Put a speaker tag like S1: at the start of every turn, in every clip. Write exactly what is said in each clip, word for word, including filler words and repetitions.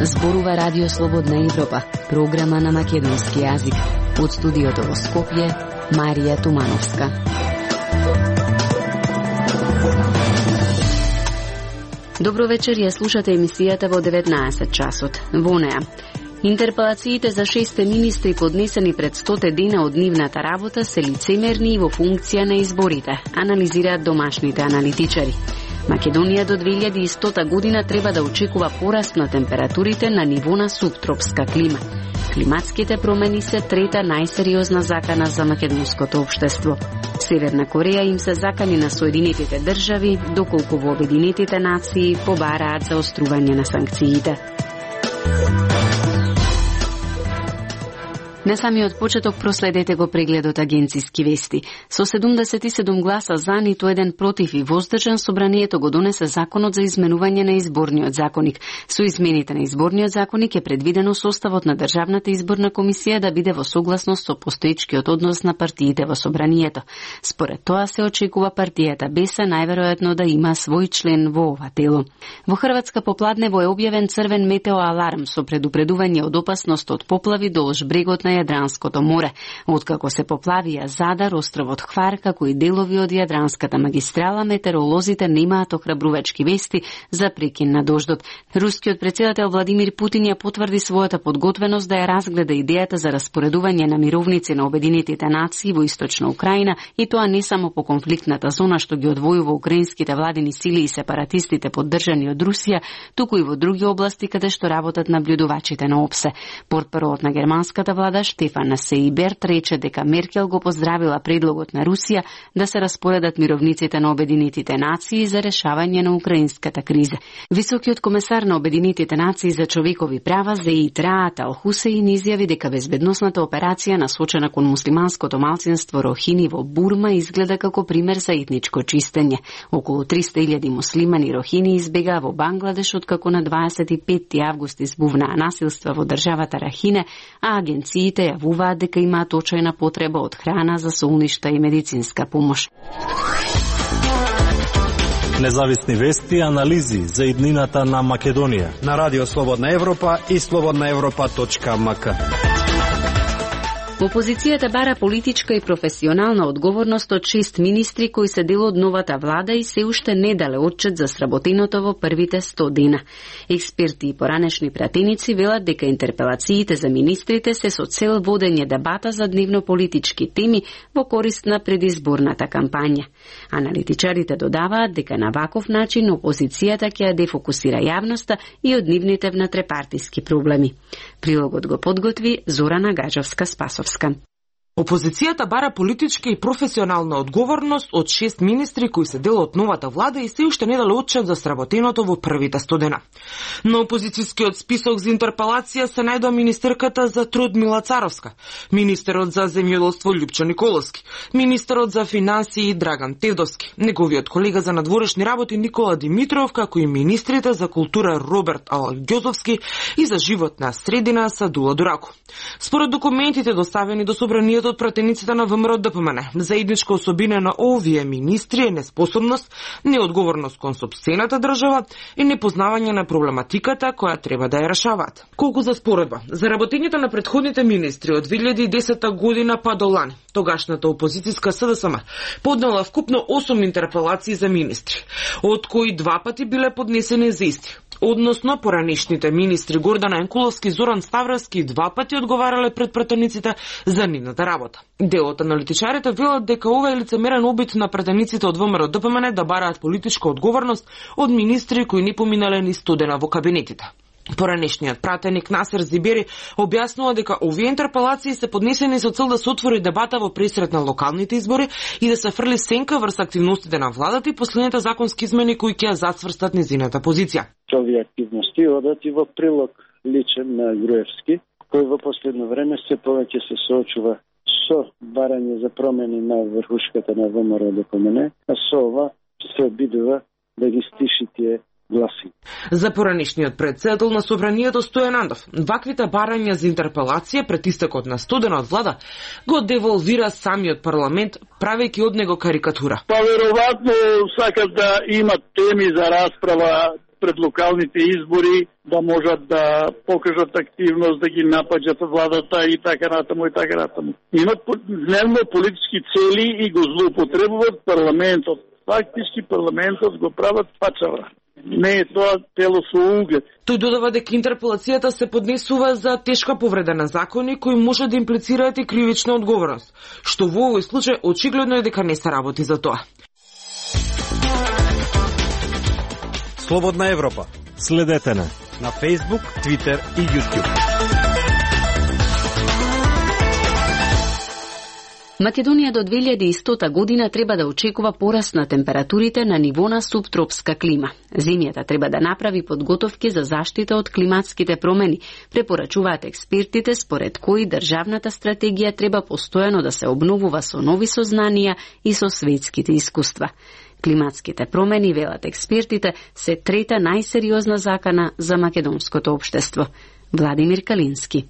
S1: Зборува Радио Слободна Европа, програма на македонски јазик. Од студиото во Скопје, Марија Тумановска. Добро вечер, ја слушате емисијата во деветнаесет часот. Во неа, интерпелациите за шесте министри поднесени пред стоте дена од нивната работа се лицемерни и во функција на изборите, анализираат домашните аналитичари. Македонија до две илјади и стота година треба да очекува пораст на температурите на ниво на субтропска клима. Климатските промени се трета најсериозна закана за македонското општество. Северна Кореја им се закани на Соединетите држави, доколку во Обединетите нации побараат за острување на санкциите. На самиот почеток проследете го прегледот агенциски вести. Со седумдесет и седум гласа за, ниту еден против и воздржан, собранието го донесе законот за изменување на изборниот законик. Со измените на изборниот законик е предвидено составот на Државната изборна комисија да биде во согласност со постоечкиот однос на партиите во собранието. Според тоа се очекува партијата БЕСА најверојатно да има свој член во ова тело. Во Хрватска попладнево е објавен црвен метеоаларм со предупредување од опасност од поплави долж брегот на Јадранското море, откако се поплавија Задар, островот Хвар, како и делови од Јадранската магистрала, метеоролозите немаат охрабрувачки вести за прекин на дождот. Рускиот претседател Владимир Путин ја потврди својата подготвеност да ја разгледа идејата за распоредување на мировници на Обединетите нации во источна Украина, и тоа не само по конфликтната зона што ги одвојува украинските владини сили и сепаратистите поддржани од Русија, туку и во други области каде што работат наблюдувачите на ОПСЕ. Портпаролот на германската влада Штефан Сейберт рече дека Меркел го поздравила предлогот на Русија да се распоредат мировниците на Обединетите нации за решавање на украинската криза. Високиот комесар на Обединетите нации за човекови права Зеид Раат Ал Хусеин изјави дека безбедносната операција насочена кон муслиманското малцинство Рохини во Бурма изгледа како пример за етничко чистење. Околу триста илјади муслимани Рохини избегаа во Бангладеш откако на дваесет и петти август избувнаа насилства во државата Рахине, а агенциите јавуваат дека имаат очајна потреба од храна за солништа и медицинска помош.
S2: Независни вести и анализи за иднината на Македонија
S3: на Радио Слободна Европа и слободна европа точка ем ка.
S1: Опозицијата бара политичка и професионална одговорност од шест министри кои се дел од новата влада и се уште не дале отчет за сработеното во првите сто дена. Експерти и поранешни пратеници велат дека интерпелациите за министрите се со цел водење дебата за дневно-политички теми во корист на предизборната кампања. Аналитичарите додаваат дека на ваков начин опозицијата ќе ја дефокусира јавноста и од нивните внатре-партиски проблеми. Прилогот го подготви Зорана Гаджовска-Спасовска.
S4: Опозицијата бара политичка и професионална одговорност од шест министри кои се дел од новата влада и се уште не дали отчет за сработеното во првите сто дена. На опозицијскиот список за интерпелација се најдоа министерката за труд Мила Царовска, министерот за земјоделство Љупчо Николовски, министерот за финансии Драган Тевдовски, неговиот колега за надворешни работи Никола Димитров, како и министрите за култура Роберт Алгјозовски и за животна средина Садула Дурако. Според документите доставени до собранието од пратениците на ВМРО Д П М Н, заедничка особина на овие министри е неспособност, неодговорност кон сопствената држава и непознавање на проблематиката која треба да ја решаваат. Колку за споредба, за работењето на претходните министри од две илјади и десета година па до лани, тогашната опозицијска С Д С М поднела вкупно осум интерпелации за министри, од кои два пати биле поднесени за исти. Односно, поранешните министри Гордан Енкуловски и Зоран Ставровски два пати одговарале пред пратениците за нивната работа. Дел од аналитичарите велат дека ова е лицемерен обид на пратениците од ВМРО Д П М Н да бараат политичка одговорност од министри кои не поминале ни сто дена во кабинетите. Поранешниот пратеник Насер Зибери објаснува дека овие интерпелации се поднесени со цел да се отвори дебата во пресрет на локалните избори и да се фрли сенка врз активностите на владата и последните законски измени кои ќе ја зацврстат низината позиција.
S5: Овие активности одат и во прилог личен на Груевски, кој во последно време се повеќе се соочува со барање за промени на врхушката на ВМРО Д П М Н, а со ова се обидува да ги стиши тие гласи.
S4: За поранешниот претседател на Собранието Стојан Андов, ваквите барања за интерпелација пред истекот на студена од влада го деволвира самиот парламент, правејќи од него карикатура.
S6: Па веројатно сакат да имат теми за расправа пред локалните избори, да можат да покажат активност, да ги напаѓат владата и така натаму и така натаму. Имат дневно политички цели и го злоупотребуваат парламентот. Фактички парламентот го прават пачава. Не е тоа тело со углед.
S4: Тој додава дека интерпелацијата се поднесува за тешка повреда на закони кои може да имплицираат и кривична одговорност, што во овој случај очигледно е дека не се работи за тоа.
S3: Слободна Европа.
S2: Следете на
S3: на Facebook, Twitter и YouTube.
S1: Македонија до две илјади и стота година треба да очекува пораст на температурите на ниво на субтропска клима. Земјата треба да направи подготовки за заштита од климатските промени, препорачуваат експертите, според кои државната стратегија треба постојано да се обновува со нови сознанија и со светските искуства. Климатските промени, велат експертите, се трета најсериозна закана за македонското општество. Владимир Калински.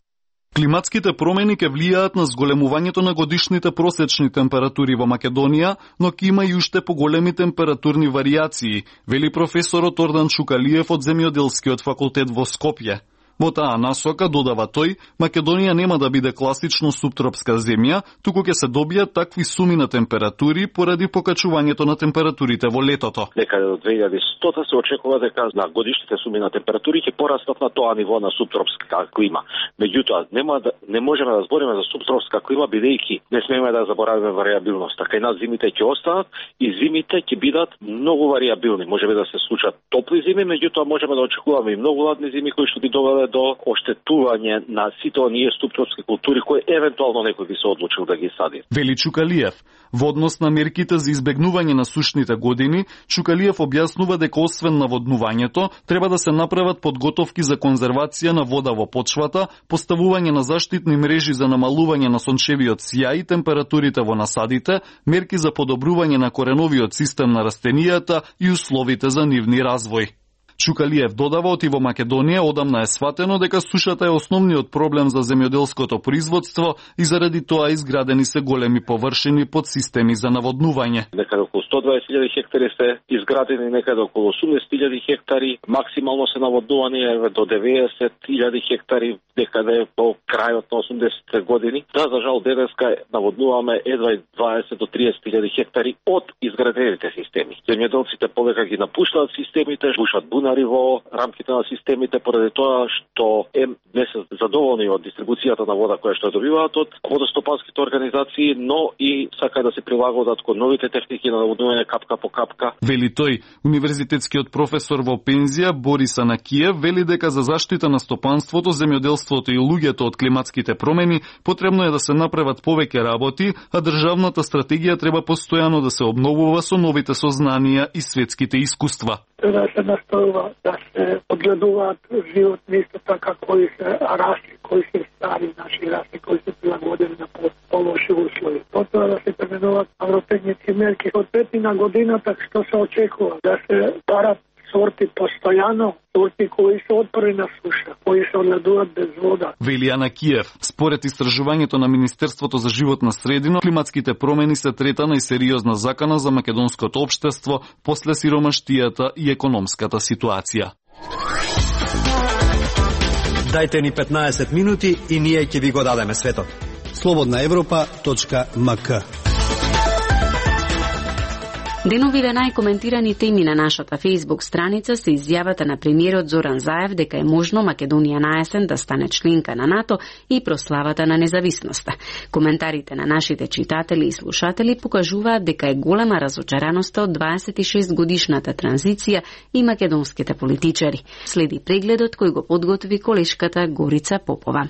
S7: Климатските промени ќе влијаат на зголемувањето на годишните просечни температури во Македонија, но ќе има и уште поголеми температурни варијации, вели професорот Ордан Чукалиев од Земјоделскиот факултет во Скопје. Во таа насока, додава тој, Македонија нема да биде класично субтропска земја, туку ќе се добијат такви суми на температури поради покачувањето на температурите во летото.
S8: Некаде до две илјади и стота се очекува дека на годишните суми на температури ќе порастат на тоа ниво на субтропска клима. Меѓутоа, нема да, не можеме да збориме за субтропска клима бидејќи не смееме да заборавиме варијабилноста. Кај нас зимите ќе останат и зимите ќе бидат многу варијабилни. Можеме да се случат топли зими, меѓутоа можеме да очекуваме и многу ладни зими кои што би довеле до оштетување на сите оние субтропски култури кои евентуално некој би се одлучил да ги сади.
S7: Вели Чукалиев. Во однос на мерките за избегнување на сушните години, Чукалиев објаснува дека освен наводнувањето, треба да се направат подготовки за конзервација на вода во почвата, поставување на заштитни мрежи за намалување на сончевиот сјај и температурите во насадите, мерки за подобрување на кореновиот систем на растенијата и условите за нивни развој. Чукалиев додава оти во Македонија одамна е сватено дека сушата е основниот проблем за земјоделското производство и заради тоа изградени се големи површини под системи за наводнување.
S8: Некаде околу сто и дваесет илјади хектари се изградени, некаде околу осумдесет илјади хектари, максимално се наводнувани еве до деветдесет илјади хектари, некаде по крајот на осумдесетте години. Да, за жал денеска наводнуваме едва дваесет до триесет илјади хектари од изградените системи. Земјоделците повека ги напуштаат системите, бушат бунари во рамките на системите поради тоа што ем не се задоволни од дистрибуцијата на вода која што добиваат од водостопанските организации, но и сака да се прилагодат кон новите техники на наводнување капка по капка.
S7: Вели тој, универзитетскиот професор во пензија Борис Анакиев вели дека за заштита на стопанството, земјоделството и луѓето од климатските промени потребно е да се направат повеќе работи, а државната стратегија треба постојано да се обновува со новите сознанија и светските искуства.
S9: Да се настојува да се одгледуваат животни исто така кои се раси, кои се стари наши раси, кои се прилагодени на полоши услови. Потоа да се пременуваат агротехнички мерки. Од петина годината што се очекува да се барат сорти постојано, сорти кои се отпори на суша, кои се одгледуваат без вода.
S7: Вели Анакиев, според истражувањето на Министерството за животна средина, климатските промени се трета најсериозна закана за македонското општество после сиромаштијата и економската ситуација.
S3: Дајте ни петнаесет минути и ние ќе ви го дадеме светот. слободна европа точка ем ка.
S1: Деновиве најкоментирани теми на нашата Facebook страница се изјавата на премиерот Зоран Заев дека е можно Македонија на есен да стане членка на НАТО и прославата на независноста. Коментарите на нашите читатели и слушатели покажуваат дека е голема разочараноста од дваесет и шест годишната транзиција и македонските политичари. Следи прегледот кој го подготви колешката Горица Попова.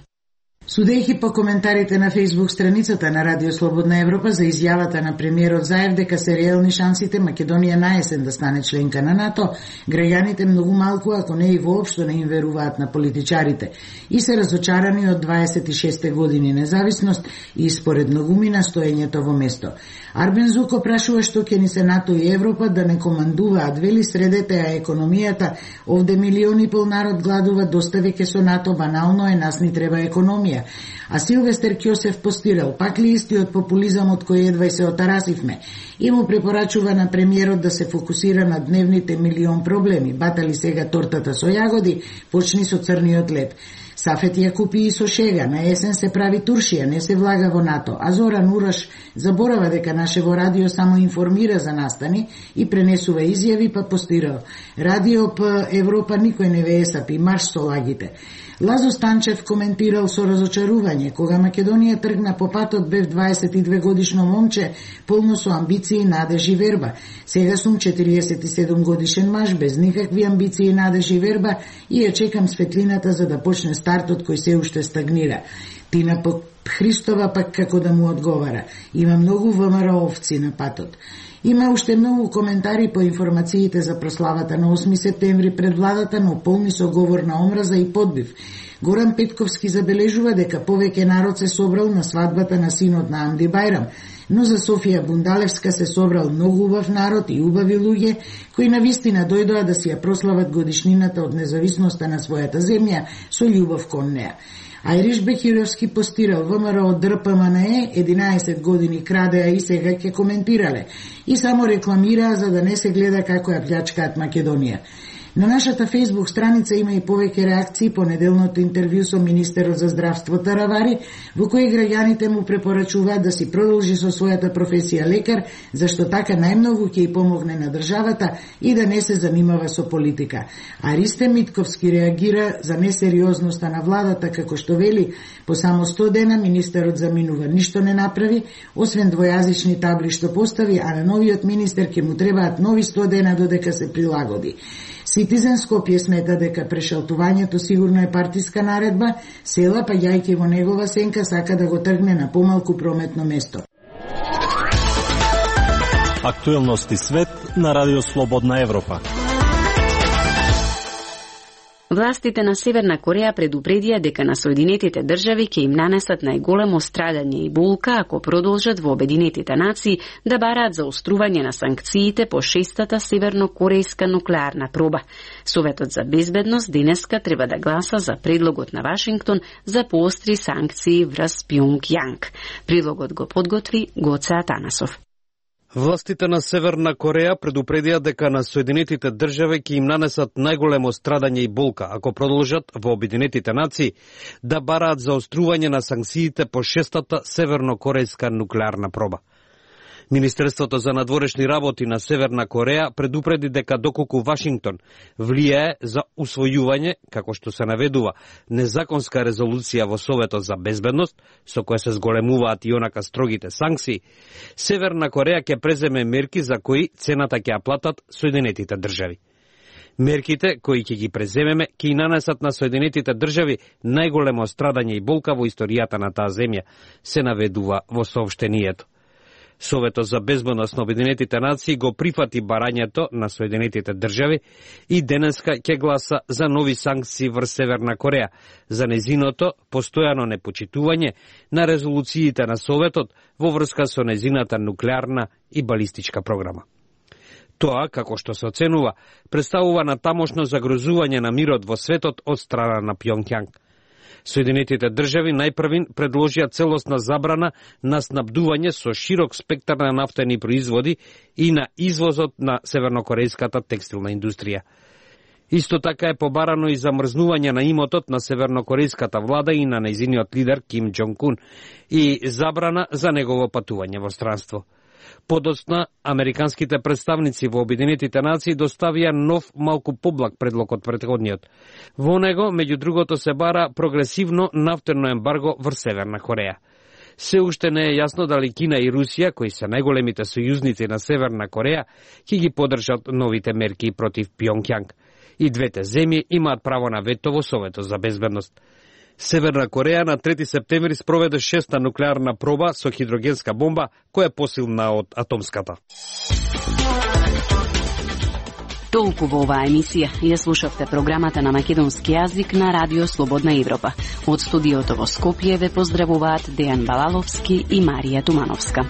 S10: Судејќи по коментарите на Facebook страницата на Радио Слободна Европа за изјавата на премиерот Заев дека се реални шансите Македонија наесен да стане членка на НАТО, граѓаните многу малку, ако не и воопшто не им веруваат на политичарите и се разочарани од дваесет и шеста години независност и според многумина стоењето во место. Арбен Зуко прашува што ќе ни се НАТО и Европа да не командуваат, вели средете а економијата, овде милиони пол народ гладува, доста веќе со НАТО, банално е, нас ни треба економија. А Силвестер Ќосев постирал, пак ли истиот популизам од кој едва и се отарасивме, и му препорачува на премиерот да се фокусира на дневните милион проблеми. Батали сега тортата со јагоди, почни со црниот лед. Сафет ја купи и со шега, на есен се прави туршија, не се влага во НАТО, а Зоран Ураш заборава дека нашево радио само информира за настани и пренесува изјави, па постирал. Радио П Европа никој не ве есапи, марш со лагите. Лазо Станчев коментирал со разочарување, кога Македонија тргна по патот, бев дваесет и две годишно момче, полно со амбиции, надеж и верба. Сега сум четириесет и седум годишен маж, без никакви амбиции, надеж и верба, и ја чекам светлината за да почне стартот кој се уште стагнира. Тина Христова пак како да му одговара. Има многу ВМРО овци на патот. Има уште многу коментари по информациите за прославата на осми септември пред владата, но полни со говор на омраза и подбив. Горан Петковски забележува дека повеќе народ се собрал на свадбата на синот на Амди Бајрам, но за Софија Бундалевска се собрал многу убав народ и убави луѓе кои навистина дојдоа да си ја прослават годишнината од независноста на својата земја со љубов кон неа. Ајриш Бехировски постирал ВМРО од ДРПМНЕ единаесет години крадеа и сега ќе коментирале и само рекламираа за да не се гледа како ја плјачкаат Македонија. На нашата Facebook страница има и повеќе реакции по неделното интервју со министерот за здравство Таравари, во кој граѓаните му препорачуваат да си продолжи со својата професија лекар, зашто така најмногу ќе и помогне на државата и да не се занимава со политика. А Ристе Митковски реагира за несериозноста на владата, како што вели, по само сто дена министерот заминува, ништо не направи, освен двојазични табли што постави, а на новиот министер ќе му требаат нови сто дена додека се прилагоди. Citizen Скопје смета дека прешалтувањето сигурно е партиска наредба, села па јајќи во негова сенка сака да го тргне на помалку прометно место.
S2: Актуелности свет на Радио Слободна Европа.
S1: Властите на Северна Кореја предупредија дека на Соединетите држави ќе им нанесат најголемо страдање и болка ако продолжат во Обединетите нации да бараат заострување на санкциите по шестата севернокорејска нуклеарна проба. Советот за безбедност денеска треба да гласа за предлогот на Вашингтон за поостри санкции врз Пјонгјанг. Предлогот го подготви Гоце Атанасов.
S11: Властите на Северна Кореја предупредија дека на Соединетите држави ќе им нанесат најголемо страдање и болка ако продолжат во Обединетите нации да бараат заострување на санкциите по шестата севернокорејска нуклеарна проба. Министерството за надворешни работи на Северна Кореја предупреди дека доколку Вашингтон влијае за усвојување, како што се наведува, незаконска резолуција во Советот за безбедност, со која се зголемуваат и онака строгите санкции, Северна Кореја ќе преземе мерки за кои цената ќе ја платат Соединетите држави. Мерките кои ќе ги преземеме ќе и нанесат на Соединетите држави најголемо страдање и болка во историјата на таа земја, се наведува во соопштението. Советот за безбедност на Обединетите нации го прифати барањето на Соединетите држави и денеска ќе гласа за нови санкции врз Северна Кореја за незиното постојано непочитување на резолуциите на Советот во врска со незината нуклеарна и балистичка програма. Тоа, како што се оценува, представува натамошно загрозување на мирот во светот од страна на Пјонгјанг. Соединетите држави најпрвин предложија целосна забрана на снабдување со широк спектар на нафтени производи и на извозот на севернокорејската текстилна индустрија. Исто така е побарано и замрзнување на имотот на севернокорејската влада и на нејзиниот лидер Ким Џонг Ун и забрана за негово патување во странство. Подоцна, американските представници во Обединетите нации доставија нов малку поблаг предлог од претходниот. Во него, меѓу другото, се бара прогресивно нафтено ембарго врз Северна Кореја. Се уште не е јасно дали Кина и Русија, кои се најголемите сојузници на Северна Кореја, ќе ги поддржат новите мерки против Пјонгјанг. И двете земји имаат право на вето во Советот за безбедност. Северна Кореја на трети септември спроведе шеста нуклеарна проба со хидрогенска бомба, која е посилна од атомската.
S1: Толку во оваа емисија. Ја слушавте програмата на македонски јазик на Радио Слободна Европа. Од студиото во Скопје ве поздравуваат Дејан Балаловски и Марија Тумановска.